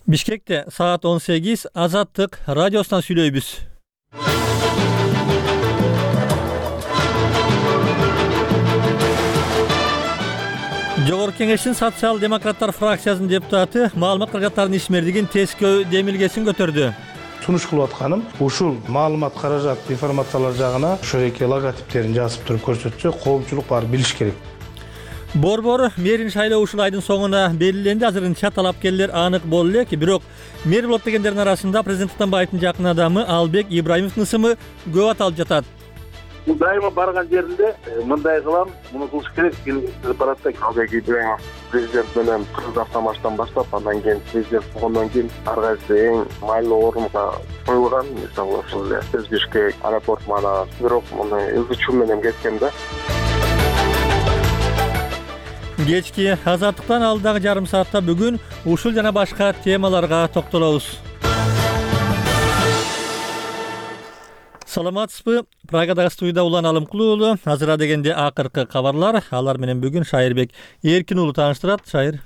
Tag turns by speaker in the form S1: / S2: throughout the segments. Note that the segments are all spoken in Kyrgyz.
S1: Бишкекте саат 18 Азаттык радиосунан сүйлөйбүз. Жогорку Кеңештин социал-демократтар фракциясынын депутаты маалымат каражаттарынын ишмердигин тескөө демилгесин көтөрдү.
S2: Сунуш кылып атканым ушул маалымат каражат информациялар жагына ошо эки логотиптерин жазып туруп көрсөтсө, коомчулук баары билиш керек.
S1: Борбор мэрин шайлоо ушул айдын соңуна белгиленди. Азырынча талапкерлер анык боло элек, бирок мэр болот дегендердин арасында президент Атамбаевдин жакын адамы Албек Ибраимовдун ысымы көп аталып жатат.
S3: Дайыма барган жеринде мындай кылам, муну кылыш керек деп барат да. Албек Ибраимов президент менен кыргыз автомаштан баштап, андан кийин президент болгондон кийин ар кайсы эң майлуу орунга коюлган. Мисалы ушул эле Бишкек аэропорт мана, бирок муну ызычуу менен кеткен да.
S1: Кечки Азаттыктан алдагы жарым саатта бүгүн ушул жана башка темаларга токтолобуз. Саламатсызбы? Прагадагы студияда Улан Алымкулуу уулу. Азыра дегенде акыркы кабарлар. Алар менен бүгүн Шайырбек Эркин уулу тааныштырат. Шайыр.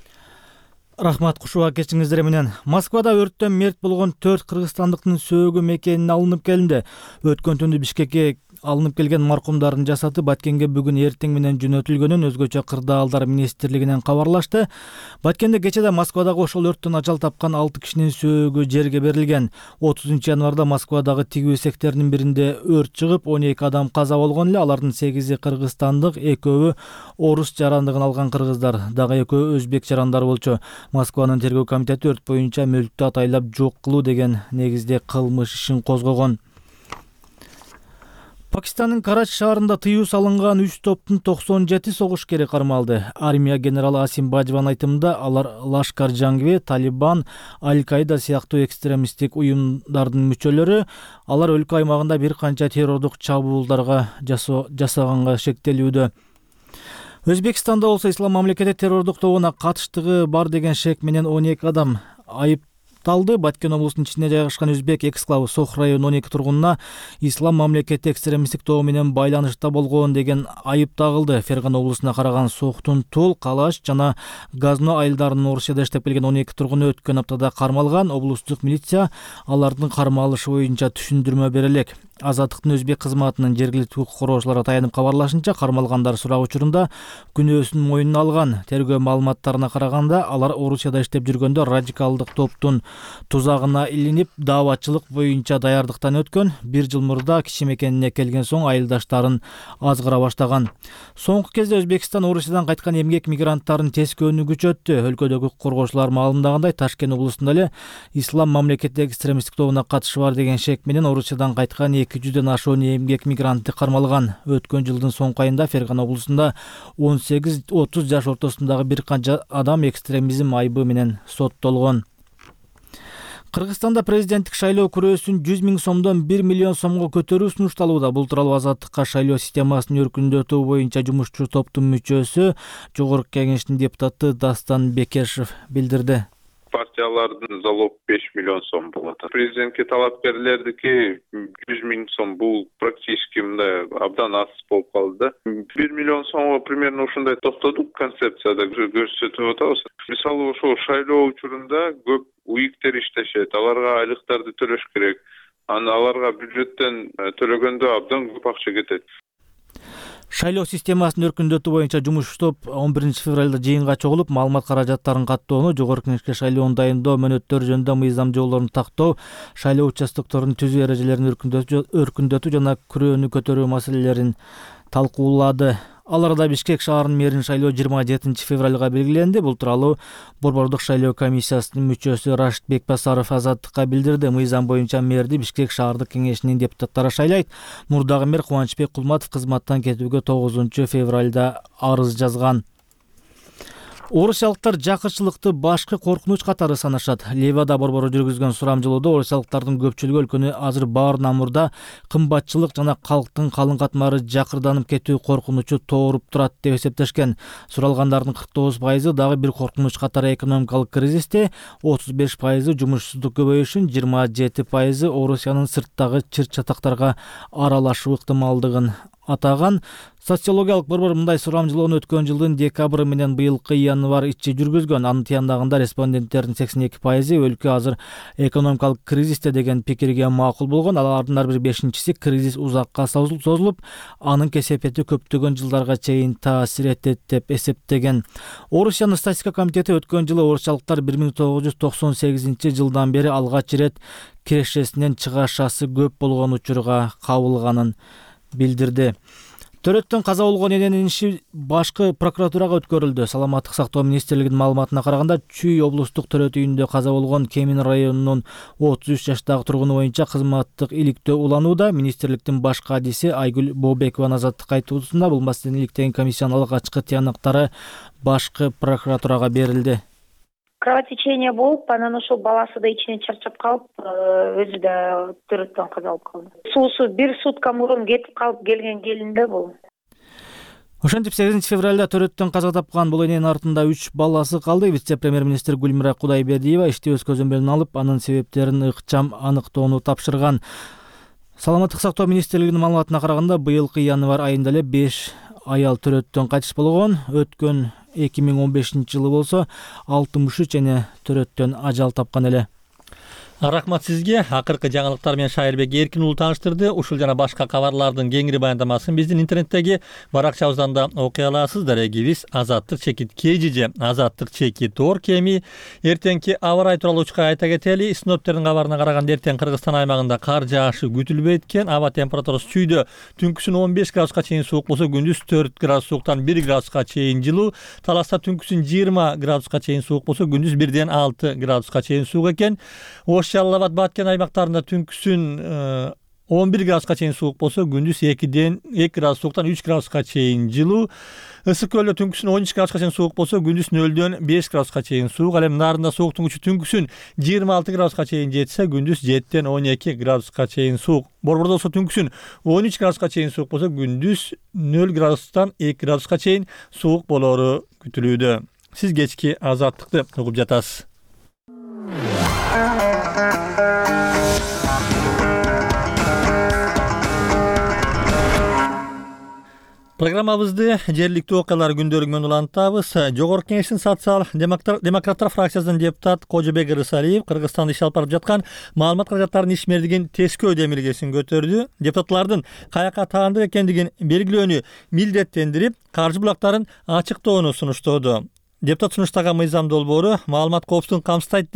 S4: Рахмат, кушуба кечиңиздер менен. Москвада өрттөн мерт болгон 4 кыргызстандыктын сөөгү мекенине алынып келинди. Өткөн түндү Бишкекке алынып келген маркумдардын жасаты Баткенге бүгүн эртең менен жөнөтүлгөнүн өзгөчө кырдаалдар министрлигинен кабарлашты. Баткенде кечеде Москвадагы ошол өрттөн ажал тапкан 6 кишинин сөөгү жерге берилген. 30 январда Москвадагы тигүү секторунун биринде өрт чыгып, 12 адам каза болгон эле. Алардын 8-и кыргызстандык, 2-өө орус жарандыгын алган кыргыздар, дагы 2-өө өзбек жарандары болчу. Москванын тергөө комитети өрт боюнча мүлктү атайлап жок кылуу деген негизде кылмыш ишин козгогон. Пакистандын Карачи шаарында тыюу салынган 3 топтун 97 согушкери кармалды. Армия генералы Асим Бажван айтымында алар Лашкар Жангве, Талибан, Аль-Каида сыяктуу экстремисттик уюмдардын мүчөлөрү. Алар өлкө аймагында бир канча террордук чабуулдарга жасаганга шектелүүдө. Өзбекстанда болсо Ислам мамлекети террордук тобуна катыштыгы бар деген шек менен 12 адам айыпталды. Баткен облусунун ичинде жайгашкан Өзбек эксклавы Сох районунун 12 тургунуна Ислам мамлекети экстремисттик тобу менен байланышта болгон деген айып тагылды. Фергана облусуна караган Сохтун Тул, Калаш жана Газно айылдарынын Орусияда иштеп келген 12 тургуну өткөн аптада кармалган. Облустук милиция алардын кармалышы боюнча түшүндүрмө бере элек. Азаттыктын өзбек кызматынын жергиликтүү укук коргоочуларга таянып кабарлашынча, кармалгандар сурак учурунда күнөөсүн мойнуна алган. Тергөө маалыматтарына караганда, алар Орусияда иштеп жүргөндө радикалдык топтун тузагына илинип, дааватчылык боюнча даярдыктан өткөн. 1 жыл мурда киши мекенине келген соң айылдаштарын азгыра баштаган. Соңку кезде Өзбекстан Орусиядан кайткан эмгек мигранттарын тескөөнү күчөттү. Өлкөдөгү укук коргоочулар маалымдагандай, Ташкент облусунда эле Ислам мамлекети экстремисттик тобуна катышы бар деген шек менен Орусиядан кайткан 200дөн ашуун эмгек мигрантты кармалган. Өткөн жылдын соңку айында Фергана облусунда 18-30 жаш ортосундагы бир канча адам экстремизм айыбы менен соттолгон. Кыргызстанда президенттик шайлоо күрөөсүн 100 000 сомдон 1 миллион сомго көтөрүү сунушталууда. Бул тууралуу Азаттыкка шайлоо системасын өркүндөтүү боюнча жумушчу топтун мүчөсү, Жогорку Кеңештин депутаты Дастан Бекешев билдирди.
S5: Партиялардын залог 5 миллион сом болот. Президентке талапкерлердики 100 000 сом, бул практически мындай абдан аз болуп калды. 1 миллион сомго примерно ушундай токтодук, концепцияда көрсөтүп атабыз. Мисалы ошол шайлоо учурунда көп уиктер иштешет, аларга айлыктарды төлөш керек. Аларга бюджеттен төлөгөндө абдан көп акча кетет.
S4: Шайлоо системасын өркүндөтүү боюнча жумуш топ 11 февралда жыйынга чогулуп, маалымат каражаттарын каттоону, Жогорку Кеңешке шайлоону дайындоо, мөөнөттөр жөнүндө мыйзам жоболорун тактоо, шайлоо участокторунун түзүү эрежелерин өркүндөтүү жана күрөөнү көтөрүү маселелерин талкуулады. Аларда Бишкек шаарынын мэрин шайлоо 27 февралга белгиленди. Бул тууралуу Борбордук шайлоо комиссиясынын мүчөсү Рашид Бекбасаров Азаттыкка билдирди. Мыйзам боюнча мэрди Бишкек шаардык кеңешинин депутаттары шайлайт. Мурдагы мэр Кубанычбек Кулматов кызматтан кетүүгө 9 февралда арыз жазган. Орусиялыктар жакырчылыкты башкы коркунуч катары санашат. Ливада борбору жүргүзгөн сурамжылоодо орусиялыктардын көпчүлүгү өлкөнү азыр баарынан мурда кымбатчылык жана калктын калың катмары жакырданып кетүү коркунучу тооруп турат деп эсептешкен. Суралгандардын 49% дагы бир коркунуч катары экономикалык кризисте, 35% жумушсуздук көбөйүшүн, 27% Орусиянын сырттагы чыр-чатактарга аралашуу ыктымалдыгын атаган. Социологиялык борбор мындай сурамжылоону өткөн жылдын декабры менен быйылкы январь ичи жүргүзгөн. Анын тыяндагында респонденттердин 82% өлкө азыр экономикалык кризисте деген пикирге макул болгон. Алардын ар бир 5-чиси кризис узакка созулуп, анын кесепети көптөгөн жылдарга чейин таасир этет деп эсептеген. Орусиянын статистика комитети өткөн жылы орусчалыктар 1998 жылдан бери алгач ирет кирешесинен чыгашасы көп болгон учурга кабылганын билдирди. Төрөттөн каза болгон эненин иши башкы прокуратурага өткөрүлдү. Саламаттык сактоо министрлигинин маалыматына караганда, Чүй облустук төрөт үйүндө каза болгон Кемин районунун 33 жаштагы тургуну боюнча кызматтык иликтөө уланууда. Министрликтин баш кадиси Айгүл Бообекованын азаттыкка айтуусунда бул маселени иликтеген комиссиянын алгачкы тыянактары башкы прокуратурага берилди.
S6: Кровотечение болуп, анан ошол баласы да ичинен чарчап калып, өзү да төрөттөн каза болуп калды. Суусу бир сутка мурун кетип калып келген келин да бул.
S4: Ошентип 8 февралда төрөттөн каза тапкан бул эненин артында 3 баласы калды. Вице-премьер-министр Гүлмира Кудайбердиева ишти өз көзөмөлүнө алып, анын себептерин ыкчам аныктоону тапшырган. Саламаттык сактоо министрлигинин маалыматына караганда, быйылкы январь айында эле 5 аял төрөттөн кайтыш болгон. Өткөн 2015 жылы болсо 63 эне төрөттөн ажал тапкан эле.
S1: Рахмат сизге. Акыркы жаңылыктар менен Шайырбек Эркин уулу тааныштырды. Ушул жана башка кабарлардын кеңири баяндамасын биздин интернеттеги баракчабыздан да окуй аласыз. Дарегибиз @azattik_kg же @azattik_tor кеми. Эртеңки аба ырайы тууралуу учка айта кетели. Синоптиктердин кабарына караганда эртең Кыргызстан аймагында кар жаашы күтүлбөйт экен. Аба температурасы чүйдө түнкүсүн 15 градуска чейин суук болсо, күндүз 4 градус сууктан 1 градуска чейин жылуу. Таласта түнкүсүн 20 градуска чейин суук болсо, күндүз 1ден 6 градуска чейин суук экен. Жалал Абад, Баткен аймактарында түнкүсүн 11 градуска чейин суук болсо, күндүз 2 градус сууктан 3 градуска чейин жылуу. Ысык көлдө түнкүсүн 13 градуска чейин суук болсо, күндүз 0дөн 5 градуска чейин суук. Ал эми Нарында сууктун күчү түнкүсүн 26 градуска чейин жетсе, күндүз 7ден 12 градуска чейин суук. Борбордо болсо түнкүсүн 13 градуска чейин суук болсо, күндүз 0 градустан 2 градуска чейин суук болору күтүлүүдө. Сиз кечки азаттыкты угуп жатасыз. Программабызды жергиликтүү окуялар күндөрү менен улантабыз. Жогорку Кеңештин социал-демократтар фракциясынын депутат Кожобек Ырысалиев Кыргызстанда иш алып барып жаткан маалымат каражаттарынын ишмердигин тескөө демилгесин көтөрдү. Депутатлардын каяка таандык экендигин белгилөөнү милдеттендирип, каржы булактарын ачыктоону сунуштоду. Депутат сунуштаган мыйзам долбоору маалымат коопсуздугун камсыздайт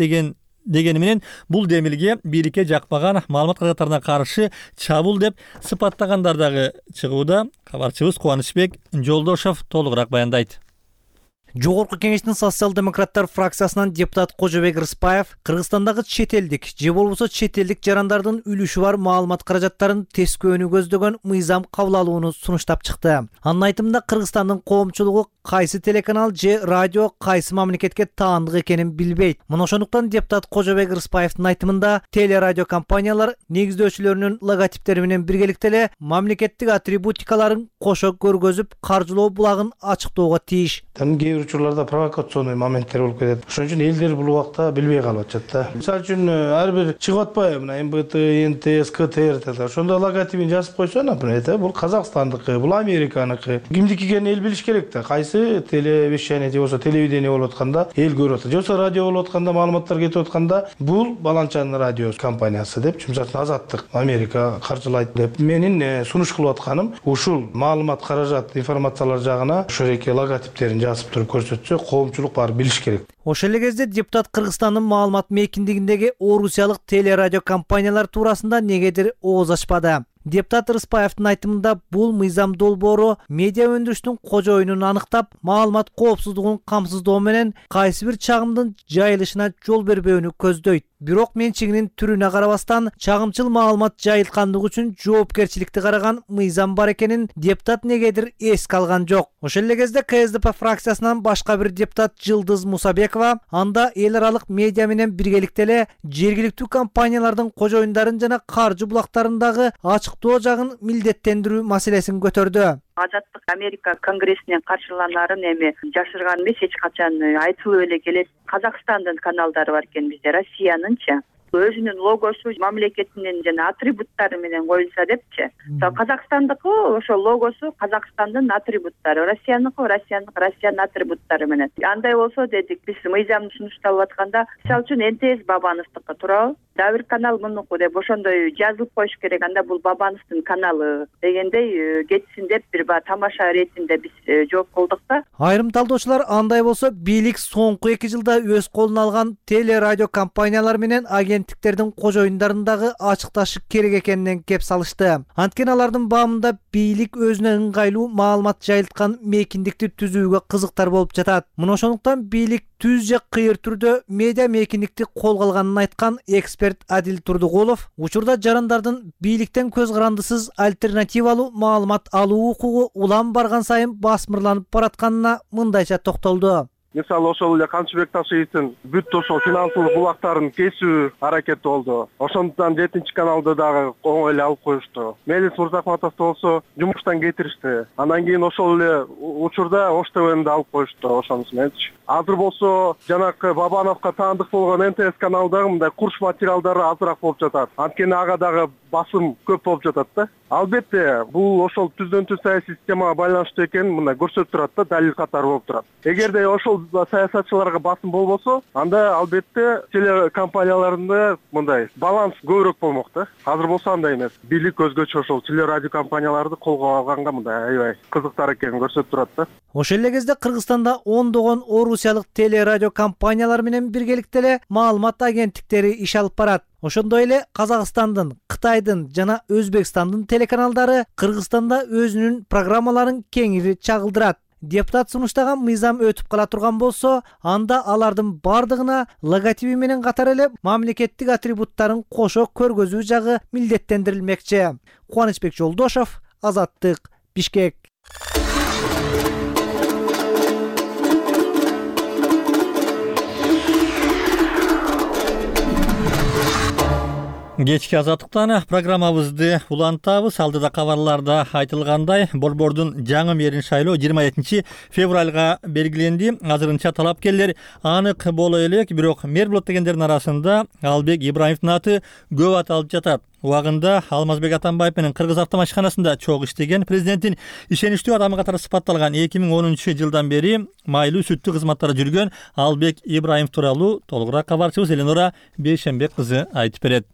S1: дегени менен бул демилге бийликке жакпаган маалымат каражаттарына каршы чабуул деп сыпаттагандар дагы чыгууда. Кабарчыбыз Кубанычбек Жолдошов толугураак баяндайт.
S7: Жогорку Кеңештин социал-демократтар фракциясынан депутат Кожобек Рыспаев Кыргызстандагы чет элдик же болбосо чет элдик жарандардын үлүшү бар маалымат каражаттарын тескөөнү көздөгөн мыйзам кабыл алууну сунуштап чыкты. Анын айтымында Кыргызстандын коомчулугу кайсы телеканал же радио кайсы мамлекетке таандык экенин билбейт. Мына ошондуктан депутат Кожобек Рыспаевдин айтымында телерадио компаниялар негиздөөчүлөрүнүн логотиптери менен биргеликте эле мамлекеттик атрибутикаларын кошо көргөзүп, каржылоо булагын ачыктоого тийиш.
S2: Учурларда провокационный моменттер болуп кетет. Ошон үчүн элдер бул убакта билбей калып атышат да. Мисалы үчүн ар бир чыгып атпайбы, мына МБТ, НТС, КТР деп. Ошондо логотипин жазып койсо, например, бул Казакстандыкы, бул Американыкы. Кимдики экенин эл билиш керек да. Кайсы телевещание же болсо телевидение болуп атканда эл көрүп атат. Же болсо радио болуп атканда, маалыматтар кетип атканда, бул баланчанын радио компаниясы деп, мисалы Азаттык, Америка каржылайт деп. Менин сунуш кылып атканым ушул маалымат каражат, информациялар жагына ошол эки логотиптерин жазып туруп көрсөтсө, коомчулук баары билиш керек.
S7: Ошол эле кезде депутат Кыргызстандын маалымат мейкиндигиндеги орусиялык телерадио компаниялар туурасында негедир ооз ачпады. Депутат Рыспаевдин айтымында бул мыйзам долбоору медиа өндүрүштүн кожоюнун аныктап, маалымат коопсуздугун камсыздоо менен кайсы бир чагымдын жайылышына жол бербөөнү көздөйт. Бирок менчигинин түрүнө карабастан чагымчыл маалымат жайылткандыгы үчүн жоопкерчиликти караган мыйзам бар экенин депутат негедир эске алган жок. Ошол эле кезде КСДП фракциясынан башка бир депутат Жылдыз Мусабекова анда эл аралык медиа менен биргеликте эле жергиликтүү компаниялардын кожоюндарын жана каржы булактарындагы ачыктоо жагын милдеттендирүү маселесин көтөрдү.
S8: Азаттык Америка конгрессинен каршыланарын эми жашырган эмес, эч качан айтылып эле келет. Казакстандын каналдары бар экен бизде, Россиянынчы. өзүнүн логосу мамлекетинин жана атрибуттары менен коюлса депчи. Казакстандыкы ошол логосу Казакстандын атрибуттары, Россиянын атрибуттары менен. Андай болсо дедик, биз мыйзамды сунушталып атканда, мисалы үчүн НТС Бабановдуку туурабы? Дагы бир канал мунуку деп ошондой жазылып коюш керек. Анда бул Бабановдун каналы дегендей кетсин деп бир тамаша иретинде биз жооп кылдык да.
S7: Айрым талдоочулар андай болсо бийлик соңку 2 жылда өз колуна алган телерадио компаниялар менен агенттиктердин кожоюндарын ачыкташы керек экенинен кеп салышты. Анткени алардын баамында бийлик өзүнө ыңгайлуу маалымат жайылткан мейкиндикти түзүүгө кызыктар болуп жатат. Мына ошондуктан бийлик түз же кыйыр түрдө медиа мейкиндикти колго алганын айткан эксперт Адил Турдугулов учурда жарандардын бийликтен көз карандысыз альтернативалуу маалымат алуу укугу улам барган сайын басмырланып баратканына мындайча токтолду.
S3: Мисалы ошол эле Камчыбек Ташиевдин бүт ошол финансылык булактарын кесүү аракети болду. Ошондуктан 7 каналды дагы оңой эле алып коюшту. Мелис Мурзахматовду болсо жумуштан кетиришти. Андан кийин ошол эле учурда Ош ТВ'ни алып коюшту ошонусу мененчи. Азыр болсо жанакы Бабановго таандык болгон НТС каналдагы мындай курч материалдары азыраак болуп жатат. Анткени ага дагы басым көп болуп жатат да. Албетте, бул ошол түздөн түз саясий системага байланыштуу экенин мындай көрсөтүп турат да, далил катары болуп турат. Эгерде ошол саясатчыларга басым болбосо, анда албетте телекомпанияларында мындай баланс көбүрөөк болмок да. Азыр болсо андай эмес. Бийлик өзгөчө ошол телерадио компанияларды колго алганга мындай аябай кызыктар экенин көрсөтүп турат да.
S7: Ошол эле кезде Кыргызстанда ондогон орусиялык телерадио компаниялар менен биргеликте эле маалымат агенттиктери иш алып барат. Ошондой эле Казакстандын, Кытайдын жана Өзбекстандын телеканалдары Кыргызстанда өзүнүн программаларын кеңири чагылдырат. Депутат сунуштаган мыйзам өтүп кала турган болсо, анда алардын бардыгына логотиби менен катар эле мамлекеттик атрибуттарын кошо көргөзүү жагы милдеттендирилмекчи. Кубанычбек Жолдошов, Азаттык, Бишкек.
S1: Кечки Азаттыктан программабызды улантабыз. Алдыда кабарларда айтылгандай, борбордун жаңы мэрин шайлоо 27 февралга белгиленди. Азырынча талапкерлер анык боло элек, бирок мэр болот дегендердин арасында Албек Ибраимовдун аты көп аталып жатат. Убагында Алмазбек Атамбаев менен Кыргыз автомашканасында чогуу иштеген, президенттин ишеничтүү адамы катары сыпатталган 2010 жылдан бери майлуу сүттүү кызматтарда жүргөн Албек Ибраимов тууралуу толугураак кабарчыбыз Эленора Бейшенбек кызы айтып берет.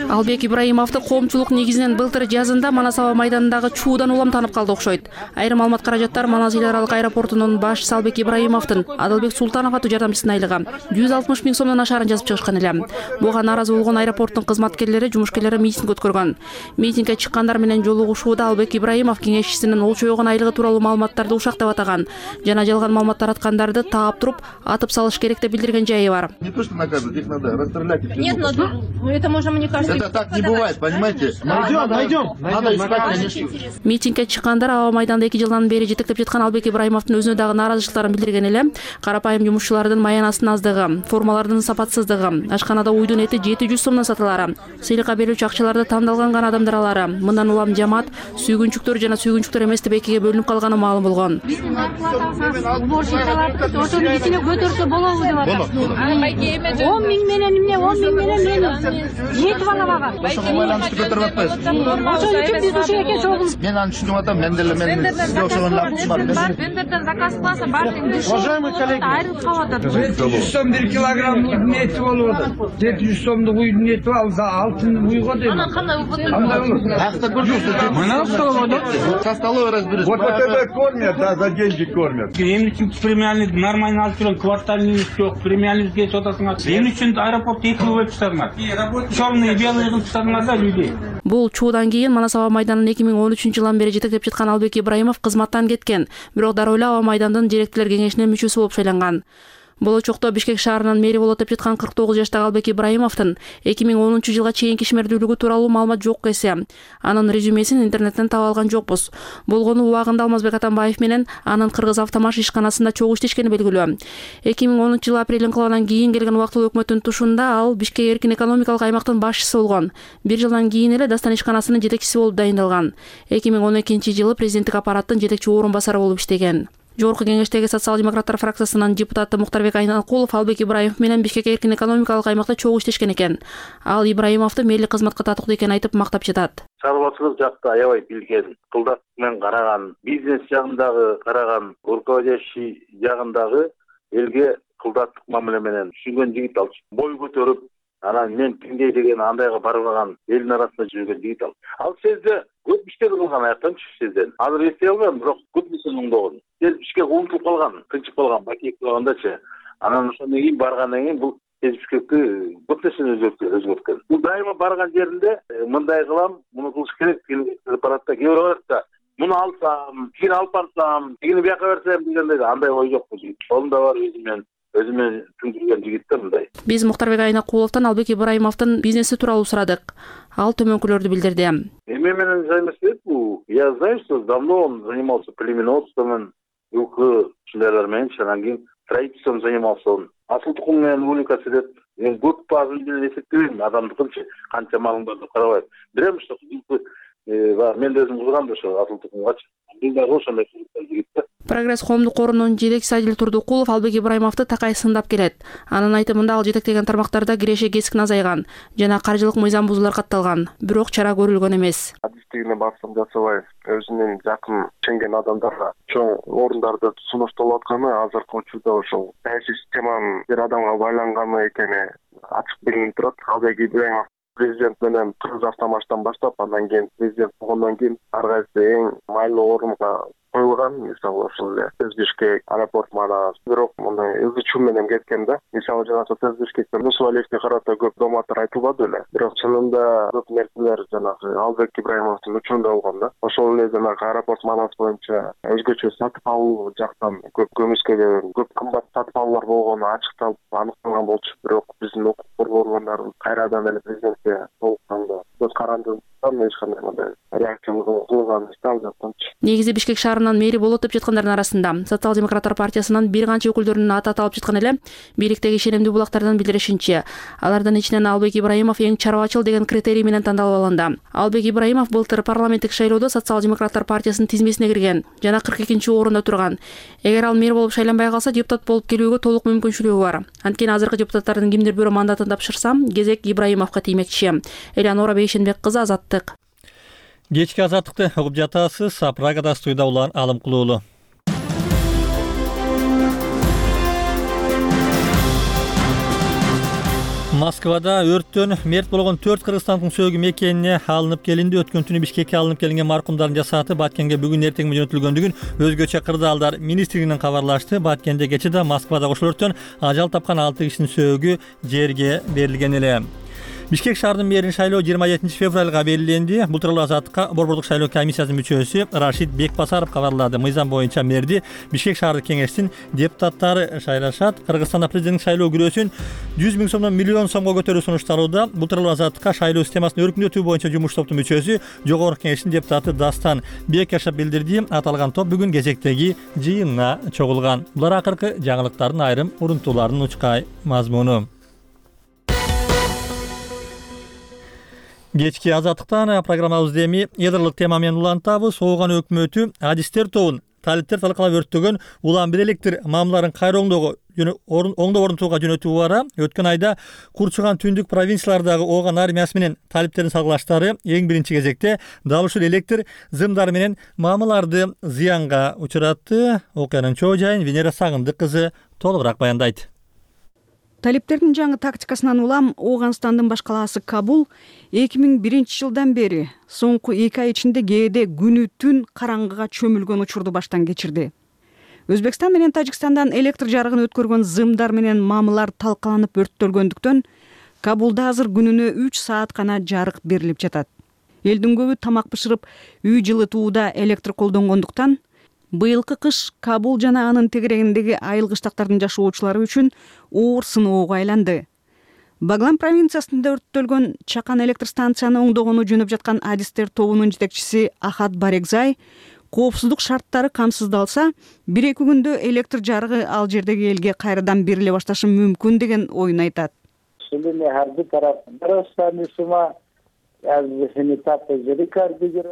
S9: Албек Ибраимовду коомчулук негизинен былтыр жазында Манас аба майданындагы чуудан улам таанып калды окшойт. Айрым маалымат каражаттар Манас эл аралык аэропортунун башчысы Албек Ибраимовдун Адалбек Султанов аттуу жардамчысына айлыгы 160 000 сомдон ашарын жазып чыгышкан эле. Буга нааразы болгон аэропорттун кызматкерлери, жумушкерлери митинг өткөргөн. Митингге чыккандар менен жолугушууда Албек Ибраимов кеңешчисинин ол чойгон айлыгы тууралуу маалыматтарды ушактап атаган жана жалган маалымат тараткандарды таап туруп атып салыш керек деп билдирген жайы бар.
S10: Не то что наказывать, их надо расстрелять.
S11: Нет, это можно, мне кажется.
S10: Это так не бывает, понимаете? Найдем. Надо искать, конечно.
S9: Митингге чыккандар аба майданда 2 жылдан бери жетектеп жаткан Албек Ибраимовдун өзүнө дагы нааразычылыктарын билдирген эле. Карапайым жумушчулардын маянасынын аздыгы, формалардын сапатсыздыгы, ашканада уйдун эти 700 сомдон сатылары, сыйлыкка берүүчү акчаларды тандалган гана адамдаралары, мындан улам жамаат сүйгүнчүктөр жана сүйгүнчүктөр эмес деп экиге бөлүнүп калганы маалым болгон.
S11: Ошону кичине көтөрсө болобу деп атат. 10 000 менен эмне, 10 000 менен жетип алабаган.
S10: Ошого байланыштуу көтөрүп атпайсыз.
S11: Ошон үчүн биз ушул экен чогул.
S10: Мен аны түшүнүп атам, мен деле сизге окшогон бар.
S11: Вендерден заказ кыласа, баардыгын уважаемый коллеги, айрылып калып атат.
S12: 700 сом 1 килограмм эти болуп атат. 700 сомдук уйдун эти алса, алтын уйго дейм.
S11: Анан кандай уйго?
S10: Андай болот. Акта көрсөтсө.
S12: Мына столова.
S10: Со столовой разберись.
S12: Вот это кормят, да, за деньги кормят. Эмне үчүн премиальный нормально алып жүргөн, квартальный жок, премиальный кесип атасыңар. Эмне үчүн аэропорт эки бөлүп чыгардыңар? Чёрный, белый кылып чыгардыңар да людей.
S9: Бул чуудан кийин Манас аба майданын 2013 жылдан бери жетектеп жаткан Албек Ибраимов кызматтан кеткен, бирок дароо эле аба майдандын директорлор кеңешинин мүчөсү болуп шайланган. Болочокто Бишкек шаарынын мэри болуп өтүп жаткан 49 жаштагы Албек Ибраимовдун 2010 жылга чейинки ишмердүүлүгү тууралуу маалымат жок эсе. Анын резюмесин интернеттен таап алган жокпуз. Болгону убагында Алмазбек Атамбаев менен анын Кыргыз автомаш ишканасында чогуу иштешкени белгилүү. 2010 жылы апрель инкылабынан кийин келген убактылуу өкмөттүн тушунда ал Бишкек эркин экономикалык аймактын башчысы болгон. Бир жылдан кийин эле Дастан ишканасынын жетекчиси болуп дайындалган. 2012 жылы президенттик аппараттын жетекчи орун басары болуп иштеген. Жогорку кеңештеги социал-демократтар фракциясынын депутаты Муктарбек Айнакулов Албек Ибраимов менен Бишкек эркин экономикалык аймакта чогуу иштешкен экен. Ал Ибраимовду мээлик кызматка татыктуу экенин айтып мактап жатат.
S3: Шаруачылык жакта аябай билген, кылдат менен караган, бизнес жагындагы караган, руководящий жагындагы элге кылдаттык мамиле менен түшүнгөн жигит ал. Бой көтөрүп, анан мен тиңдей деген андайга барбаган элдин арасында жүргөн жигит ал. Ал сезде көп иштер кылган аяктан сезден. Азыр эстей албайм, бирок көп нерсени оңдогон. Бишкек унутулуп калган, тынчып калган, бакек калгандачы. Анан ошондон кийин баргандан кийин бул Бишкекти көп нерсени өзгөрткөн. Бул дайыма барган жеринде мындай кылам, муну кылыш керек деген аппаратта кээ бирөө барат да. Муну алсам, тигини алып барсам, тигини бияка берсем дегендей андай ой жок бул жигит. Колумда бар өзүмө түндүргөн жигиттер мындай.
S9: Биз Муктарбек Айнакуловдон Албек Ибраимовдун бизнеси тууралуу сурадык. Ал төмөнкүлөрдү билдирди.
S3: Эме менен займешься бул. Я знаю, что давно он занимался племенодством, укчылар менен, анан кийин строительством занимался он. Асыл тукум менен увлекаться этет. Мен көп базын менен эсептебейм, адамдыкынчы канча малың бар деп карабайм. Билем, что мен да өзүм кызгам да ошо асыл тукумгачы. Мен дагы ошондой жигитте.
S9: Прогресс коомдук корунун жетекчиси Адил Турдукулов Албек Ибраимовду такай сындап келет. Анын айтымында ал жетектеген тармактарда киреше кесиктин азайган жана каржылык мыйзам бузуулар катталган, бирок чара көрүлгөн эмес.
S3: Адистигине басым жасабай, өзүнүн жакын ишенген адамдарга чоң орундарды сунушталып атканы азыркы учурда ошол саясий системанын бир адамга байланганы экени ачык билинип турат. Албек Ибраимов президент менен Кыргыз автомаштан баштап, андан кийин президент болгондон кийин ар кайсы эң майлуу орунга коюлган. Мисалы ошол эле Бишкек, аэропорт манас, бирок мындай ызы-чуу менен кеткен да. Мисалы жана Бишкекте Мусуалиевге карата көп доматтар айтылбады эле. Бирок чынында көп нерселер жанагы Албек Ибраимовдун учурунда болгон да. Ошол эле жанагы аэропорт манас боюнча өзгөчө сатып алуу жактан көп көмүскө көп кымбат сатып алуулар болгону ачыкталып аныкталган болчу. Бирок биздин укук коргоо органдары кайрадан эле президентке толукканда көз каранды эч кандай мындай реакция кылган алып жатканчы.
S9: Негизи Бишкек шаарынын мэри болуп өтүп жаткандардын арасында Социал-демократтар партиясынын бир канча өкүлдөрүнүн аты аталып жаткан эле. Бийликтеги ишенимдүү булактардан билдиришинче, алардын ичинен Албек Ибраимов эң чарбачыл деген критерий менен тандалып алынды. Албек Ибраимов былтыр парламенттик шайлоодо Социал-демократтар партиясынын тизмесине кирген жана 42-чи орунда турган. Эгер ал мэр болуп шайланбай калса, депутат болуп келүүгө толук мүмкүнчүлүгү бар. Анткени азыркы депутаттардын кимдир бирөө мандатын тапшырса, кезек Ибраимовго тиймекчи. Элеонора Бейшенбек кызы, Азаттык.
S1: Кечки азаттыкты угуп жатасыз. Прагада студияда улан Алым Кулуулу. Москвада өрттөн мерт болгон 4 кыргызстандын сөөгү мекенине алынып келинди. Өткөн түнү Бишкекке алынып келинген маркумдардын жасааты Баткенге бүгүн эртең жөнөтүлгөндүгүн өзгөчө кырдаалдар министрлигинен кабарлашты. Баткенде кечээ Москвада ошол өрттөн ажал тапкан 6 кишинин сөөгү жерге берилген эле. Бишкек шаарынын мэрин шайлоо 27 февралга белгиленди. Бул тууралуу Азаттыкка борбордук шайлоо комиссиясынын мүчөсү Рашид Бекбасаров кабарлады. Мыйзам боюнча мэрди Бишкек шаардык кеңештин депутаттары шайлашат. Кыргызстанда президенттик шайлоо күрөөсүн 100 000 сомдон миллион сомго көтөрүү сунушталууда. Бул тууралуу Азаттыкка шайлоо системасын өркүндөтүү боюнча жумуш топтун мүчөсү Жогорку кеңештин депутаты Дастан Бекашев билдирди. Аталган топ бүгүн кезектеги жыйынына чогулган. Булар акыркы жаңылыктардын айрым урунтууларынын учкай мазмуну. Кечки Азаттыктан программабызды эми ядролук тема менен улантабыз. Ооган өкмөтү адистер тобун талиптер талкалап өрттөгөн улам бир электр маамыларын кайра оңдоп орнотууга жөнөтүү бара. Өткөн айда Курчуган түндүк провинциялардагы Ооган армиясы менен талиптердин салгылаштары эң биринчи кезекте дал ушул электр зымдары менен маамыларды зыянга учуратты. Окуянын чоо жайын Венера Сагындык кызы толугураак баяндайт.
S13: Талиптердин жаңы тактикасынан улам Ооганстандын баш калаасы Кабул 2001 жылдан бери соңку 2 ай ичинде кээде күнү түн караңгыга чөмүлгөн учурду баштан кечирди. Өзбекстан менен Тажикстандан электр жарыгын өткөргөн зымдар менен маамылар талкаланып өрттөлгөндүктөн Кабулда азыр күнүнө 3 саат гана жарык берилип жатат. Элдин көбү тамак бышырып, үй жылытууда электр колдонгондуктан Быйылкы кыш Кабул жана анын тегерегиндеги айыл кыштактардын жашоочулары үчүн оор сыноого айланды. Баглан провинциясында өрттөлгөн чакан электр станцияны оңдогону жөнөп жаткан адистер тобунун жетекчиси Ахат Барегзай коопсуздук шарттары камсыздалса, 1-2 күндө электр жарыгы ал жердеги элге кайрадан бериле башташы мүмкүн деген оюн айтат.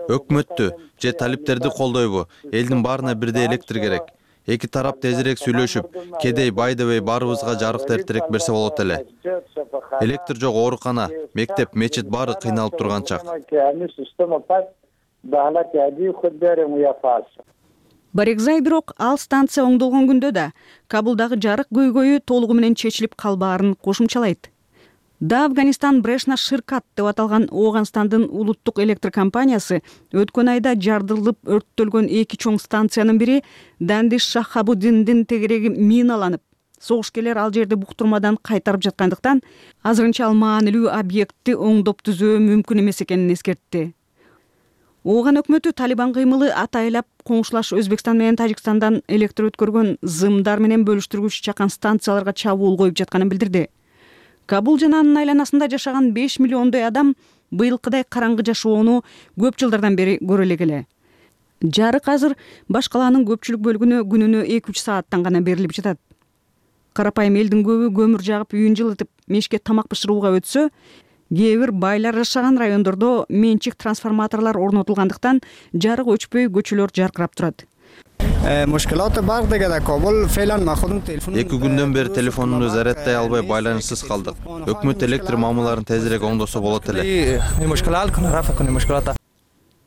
S14: Өкмөттү же талиптерди колдойбу? Элдин баарына бирдей электр керек. Эки тарап тезирээк сүйлөшүп, кедей бай дебей баарыбызга жарыкты эртерээк берсе болот эле. Электр жок оорукана, мектеп, мечит баары кыйналып турган чак.
S13: Барегзай бирок ал станция оңдолгон күндө да Кабулдагы жарык көйгөйү толугу менен чечилип калбаарын кошумчалайт. Да Афганистан Брешна Ширкат деп аталган Ооганстандын улуттук электр компаниясы өткөн айда жардырылып өрттөлгөн 2 чоң станциянын бири Дандиш Шахабуддиндин тегереги миналанып, согушкерлер ал жерди буктурмадан кайтарып жаткандыктан азырынча ал маанилүү объектти оңдоп түзөө мүмкүн эмес экенин эскертти. Ооган өкмөтү Талибан кыймылы атайлап коңшулаш Өзбекстан менен Тажикстандан электр өткөргөн зымдар менен бөлүштүргүч чакан станцияларга чабуул коюп жатканын билдирди. Кабул жана анын айланасында жашаган 5 миллиондой адам быйылкыдай караңгы жашоону көп жылдардан бери көрө элек. Жарык азыр баш калаанын көпчүлүк бөлүгүнө күнүнө 2-3 сааттан гана берилип жатат. Карапайым элдин көбү көмүр жагып үйүн жылытып, мешке тамак бышырууга өтсө, кээ бир байлар жашаган райондордо менчик трансформаторлор орнотулгандыктан жарык өчпөй көчөлөр жаркырап турат.
S14: 2 күндөн бери телефонумду зарядтай албай байланышсыз калдык. Өкмөт электр маамыларын тезирээк оңдосо болот эле.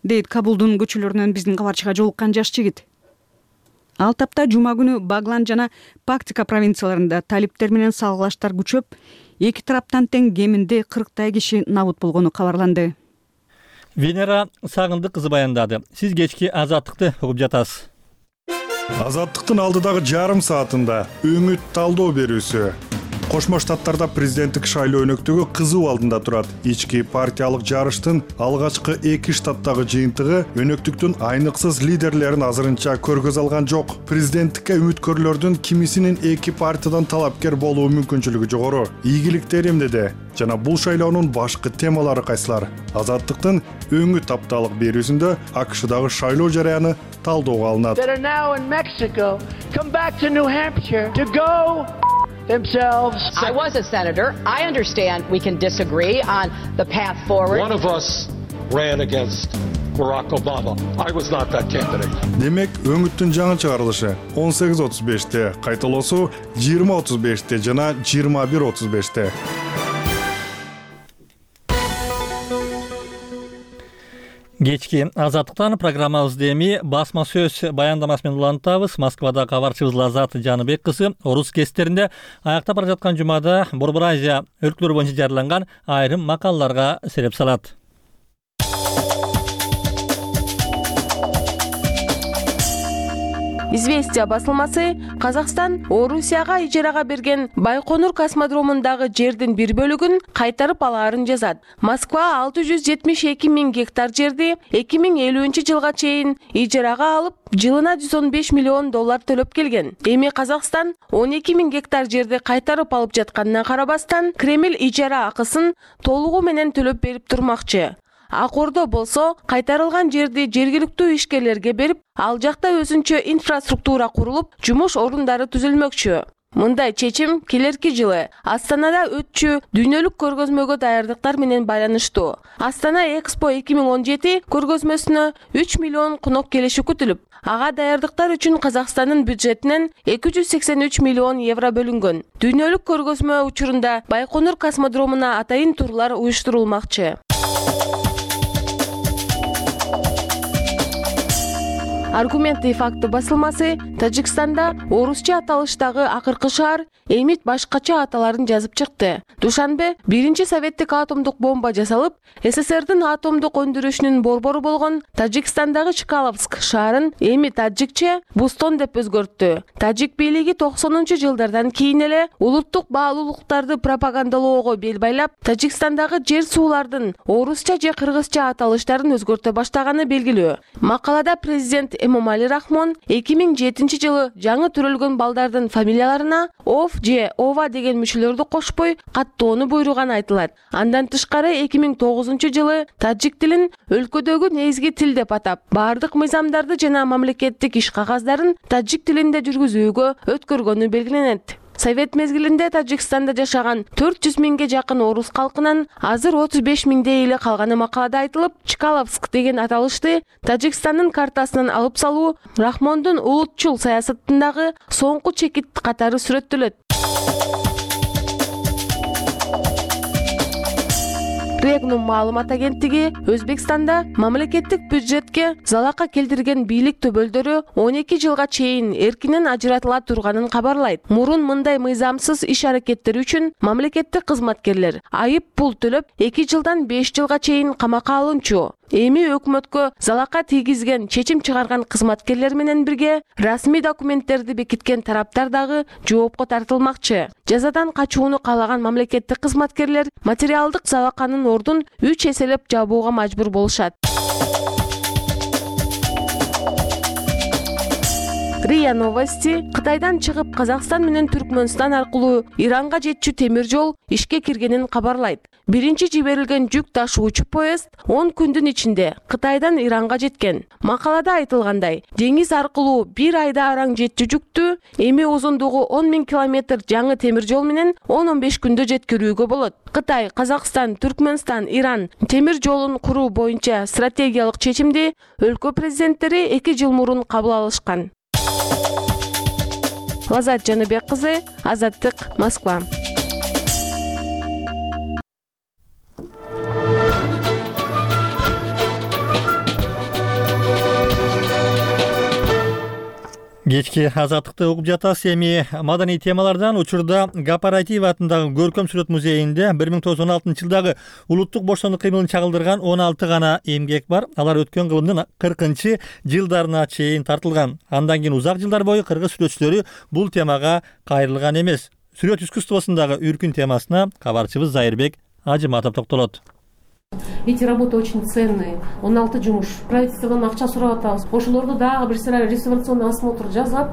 S13: Дейт Кабулдун көчөлөрүнөн биздин кабарчыга жолуккан жаш жигит. Ал тапта жума күнү Баглан жана Пактика провинцияларында талиптер менен салгылаштар күчөп, эки тараптан тең кеминде 40 киши набут болгону кабарланды.
S1: Венера Сагындык кызы баяндады. Сиз кечки Азаттыкты угуп жатасыз.
S15: Азаттыктын алдыдагы жарым саатында өңүт талдоо берүүсү. Кошмо Штаттарда президенттик шайлоо өнөктөгү кызуу алдында турат. Ички партиялык жарыштын алгачкы 2 штаттагы жыйынтыгы өнөктүктүн айныксыз лидерлерин азырынча көргөз алган жок. Президенттикке үмүткөрлөрдүн кимисинин 2 партиядан талапкер болуу мүмкүнчүлүгү жогору. Ийгиликтер эмнеде? Жана бул шайлоонун башкы темалары кайсылар? Азаттыктын өңүт апталык берүүсүндө АКШдагы шайлоо жараяны талдоого алынат.
S16: Themselves. I was a senator. I understand we can disagree on the path forward.
S17: One of us ran against Barack Obama. I was not that candidate.
S15: Демек, өңүттүн жаңы чыгарылышы 18:35-те, кайталоосу 20:35-те жана 21:35-те.
S1: Кечки Азаттыктан программабызды эми басма сөз баяндамасы менен улантабыз. Москвада кабарчыбыз Лазат Жаныбек кызы орус кестеринде аяктап бара жаткан жумада Борбор Азия өлкөлөрү боюнча жарыяланган айрым макалаларга сереп салат.
S18: Известия басылмасы Казакстан Орусияга ижарага берген Байконур космодромундагы жердин бир бөлүгүн кайтарып алаарын жазат. Москва 672 000 гектар жерди 2050-жылга чейин ижарага алып, жылына $115 миллион төлөп келген. Эми Казакстан 12 000 гектар жерди кайтарып алып жатканына карабастан, Кремль ижара акысын толугу менен төлөп берип турмакчы. Акордо болсо кайтарылган жерди жергиликтүү ишкерлерге берип, ал жакта өзүнчө инфраструктура курулуп, жумуш орундары түзүлмөкчү. Мындай чечим келерки жылы Астанада өтчү дүйнөлүк көргөзмөгө даярдыктар менен байланыштуу. Астана Экспо 2017 көргөзмөсүнө 3 миллион конок келиши күтүлүп, ага даярдыктар үчүн Казакстандын бюджетинен 283 миллион евро бөлүнгөн. Дүйнөлүк көргөзмө учурунда Байконур космодромуна атайын турлар уюштурулмакчы. Аргументы и факты басылмасы Тажикстанда орусча аталыштагы акыркы шаар Эмит башкача аталарын жазып чыкты. Душанбе биринчи советтик атомдук бомба жасалып, СССРдин атомдук өндүрүшүнүн борбору болгон Тажикстандагы Чкаловск шаарын Эмит таджикче Бустон деп өзгөрттү. Тажик бийлиги 90-жылдардан кийин эле улуттук баалуулуктарды пропагандалоого бел байлап, Тажикстандагы жер суулардын орусча же кыргызча аталыштарын өзгөртө баштаганы белгилүү. Макалада президент Эмомали Рахмон 2007-жылы жаңы төрөлгөн балдардын фамилияларына ов же ова деген мүчөлөрдү кошпой каттоону буйруган айтылат. Андан тышкары 2009-жылы тажик тилин өлкөдөгү негизги тил деп атап, бардык мыйзамдарды жана мамлекеттик иш кагаздарын тажик тилинде жүргүзүүгө өткөргөнү белгиленет. Совет мезгилинде Тажикстанда жашаган 400 миңге жакын орус калкынын азыр 35 миңдей эле калганы макалада айтылып, Чкаловск деген аталышты Тажикстандын картасынан алып салуу Рахмондун улутчул саясатындагы соңку чекит катары сүрөттөлөт. Регнум маалымат агенттиги Өзбекстанда мамлекеттик бюджетке залака келтирген бийлик төбөлдөрү 12 жылга чейин эркинен ажыратыла турганын кабарлайт. Мурун мындай мыйзамсыз иш-аракеттер үчүн мамлекеттик кызматкерлер айып пул төлөп 2 жылдан 5 жылга чейин камакка алынчу. Эми өкмөткө залака тийгизген, чечим чыгарган кызматкерлер менен бирге расмий документтерди бекиткен тараптар дагы жоопко тартылмакчы. Жазадан качууну каалаган мамлекеттик кызматкерлер материалдык залаканын ордун 3 эселеп жабууга мажбур болушат. РИА Новости Кытайдан чыгып Казакстан менен Түркмөнстан аркылуу Иранга жетчү темир жол ишке киргенин кабарлайт. Биринчи жиберилген жүк ташуучу поезд 10 күндүн ичинде Кытайдан Иранга жеткен. Макалада айтылгандай, деңиз аркылуу бир айда араң жетчү жүктү эми узундугу 10 000 километр жаңы темир жол менен 10-15 күндө жеткирүүгө болот. Кытай, Казакстан, Түркмөнстан, Иран темир жолун куруу боюнча стратегиялык чечимди өлкө президенттери 2 жыл мурун кабыл алышкан. Лазат Жаныбек кызы, Азаттык, Москва.
S1: Кечки Азаттыкты угуп жатасыз. Эми маданий темалардан учурда Гапаратиев атындагы Көркөм сүрөт музейинде 1916 жылдагы улуттук бошондук кыймылын чагылдырган 16 гана эмгек бар. Алар өткөн кылымдын 40 жылдарына чейин тартылган. Андан кийин узак жылдар бою кыргыз сүрөтчүлөрү бул темага кайрылган эмес. Сүрөт искусствосундагы үркүн темасына кабарчыбыз Зайырбек Ажыматов токтолот.
S19: Эти работы очень ценные. 16 жумуш. Правительстводан акча сурап атабыз. Ошолорду дагы бир сыра реставрационный осмотр жасап,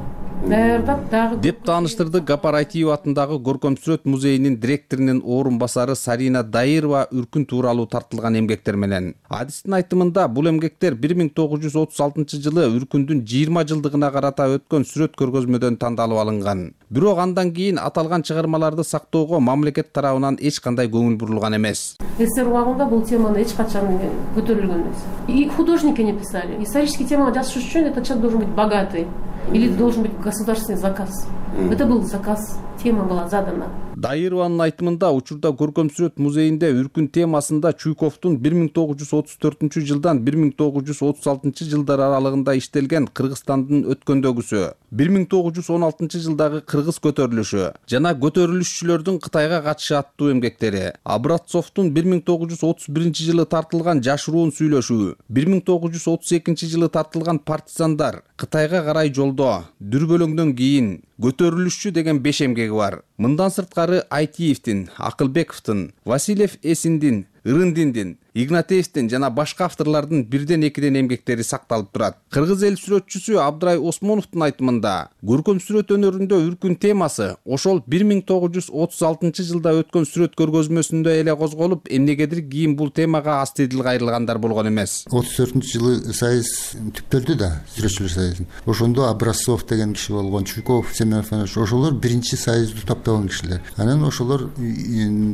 S19: даярдап дагы
S20: деп тааныштырды Гапаратиев атындагы Көркөм сүрөт музейинин директорунун орун басары Сарина Дайырова үркүн тууралуу тартылган эмгектер менен. Адистин айтымында бул эмгектер 1936 жылы үркүндүн 20 жылдыгына карата өткөн сүрөт көргөзмөдөн тандалып алынган. Бирок андан кийин аталган чыгармаларды сактоого мамлекет тарабынан эч кандай көңүл бурулган эмес.
S19: СССР убагында бул теманы эч качан көтөрүлгөн эмес. И художники не писали. Исторический тема жазыш үчүн этот человек должен быть богатый. Или должен быть государственный заказ. Это был заказ, тема была задана.
S20: Дайырованын айтымында учурда Көркөм сүрөт музейинде үркүн темасында Чуйковдун 1934 жылдан 1936 жылдар аралыгында иштелген Кыргызстандын өткөндөгүсү, 1916 жылдагы кыргыз көтөрүлүшү жана көтөрүлүшчүлөрдүн Кытайга катышы аттуу эмгектери, Образцовдун 1931 жылы тартылган жашыруун сүйлөшүү, 1932 жылы тартылган партизандар, Кытайга карай жолдо, дүрбөлөңдөн кийин, көтөрүлүшчү деген 5 эмгеги бар. Мындан сырткары Айтиевдин, Акылбековдун, Васильев Эсиндин, Ырындиндин, Игнатьевдин жана башка авторлордун 1-2 эмгектери сакталып турат. Кыргыз эл сүрөтчүсү Абдрай Осмоновдун айтымында, көркөм сүрөт өнөрүндө үркүн темасы ошол 1936 жылда өткөн сүрөт көргөзмөсүндө эле козголуп, эмнегедир кийин бул темага астидил кайрылгандар болгон эмес.
S21: 34-жылы союз түптөлдү да, сүрөтчүлөр союзун. Ошондо Образцов деген киши болгон, Чуйков, Семенов, ошолор биринчи союзду топтогон кишилер. Анан ошолор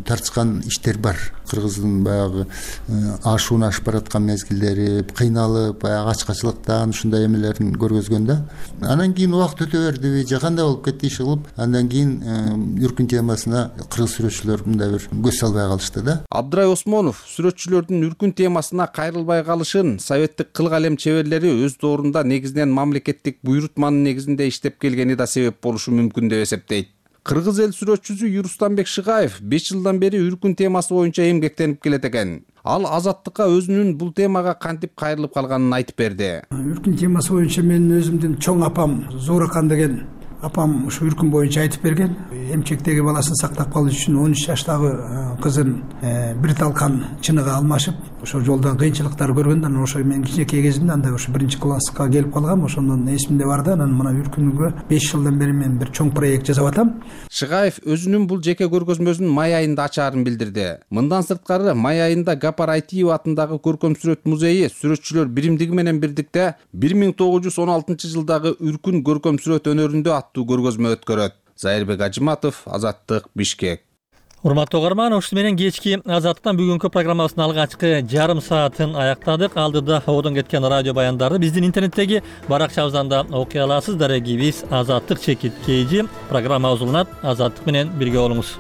S21: тартышкан иштер бар. Кыргыздын баягы ашууну ашып бараткан мезгилдери, кыйналып, баягы ачкачылыктан ушундай эмелерин көргөзгөндө. Анан кийин убакыт өтө берди, же кандай болуп кетти иши кылып, андан кийин үркүн темасына кыргыз сүрөтчүлөр мындай бир көз салбай калышты да.
S20: Абдрай Осмонов сүрөтчүлөрдүн үркүн темасына кайрылбай калышын советтик кыл калем чеберлери өз доорунда негизинен мамлекеттик буйрутманын негизинде иштеп келгени да себеп болушу мүмкүн деп эсептейт. Кыргыз эл сүрөтчүсү Юрустанбек Шыгаев 5 жылдан бери үркүн темасы боюнча эмгектенип келет экен. Ал Азаттыкка өзүнүн бул темага кантип кайрылып калганын айтып берди.
S22: Үркүн темасы боюнча менин өзүмдүн чоң апам Зооракан деген
S5: апам ушу үркүн боюнча айтып берген. Эмчектеги баласын сактап калыш үчүн 13 жаштагы кызын бир талкан чыныга алмашып, ошо жолдон кыйынчылыктар көргөндө, анан ошо мен кичинекей кезимде андай ошо 1-класска келип калгам, ошондон эсимде бар да, анан мына үркүнгө 5 жылдан бери мен бир чоң проект жасап атам.
S20: Шыгаев өзүнүн бул жеке көргөзмөсүн май айында ачаарын билдирди. Мындан сырткары май айында Гапар Айтиева атындагы көркөм сүрөт музейи сүрөтчүлөр биримдиги менен бирдикте 1916 жылдагы үркүн көркөм сүрөт өнөрүндө аттуу көргөзмө өткөрөт. Зайырбек Ажыматов, Азаттык, Бишкек.
S1: Урматтуу угарман, ушуну менен кечки Азаттыктан бүгүнкү программабыздын алгачкы жарым саатын аяктадык. Алдыда ободон кеткен радио баяндарды биздин интернеттеги баракчабыздан да окуй аласыз. Дарегибиз Азаттык _KG программа узулунат. Азаттык менен бирге болуңуз.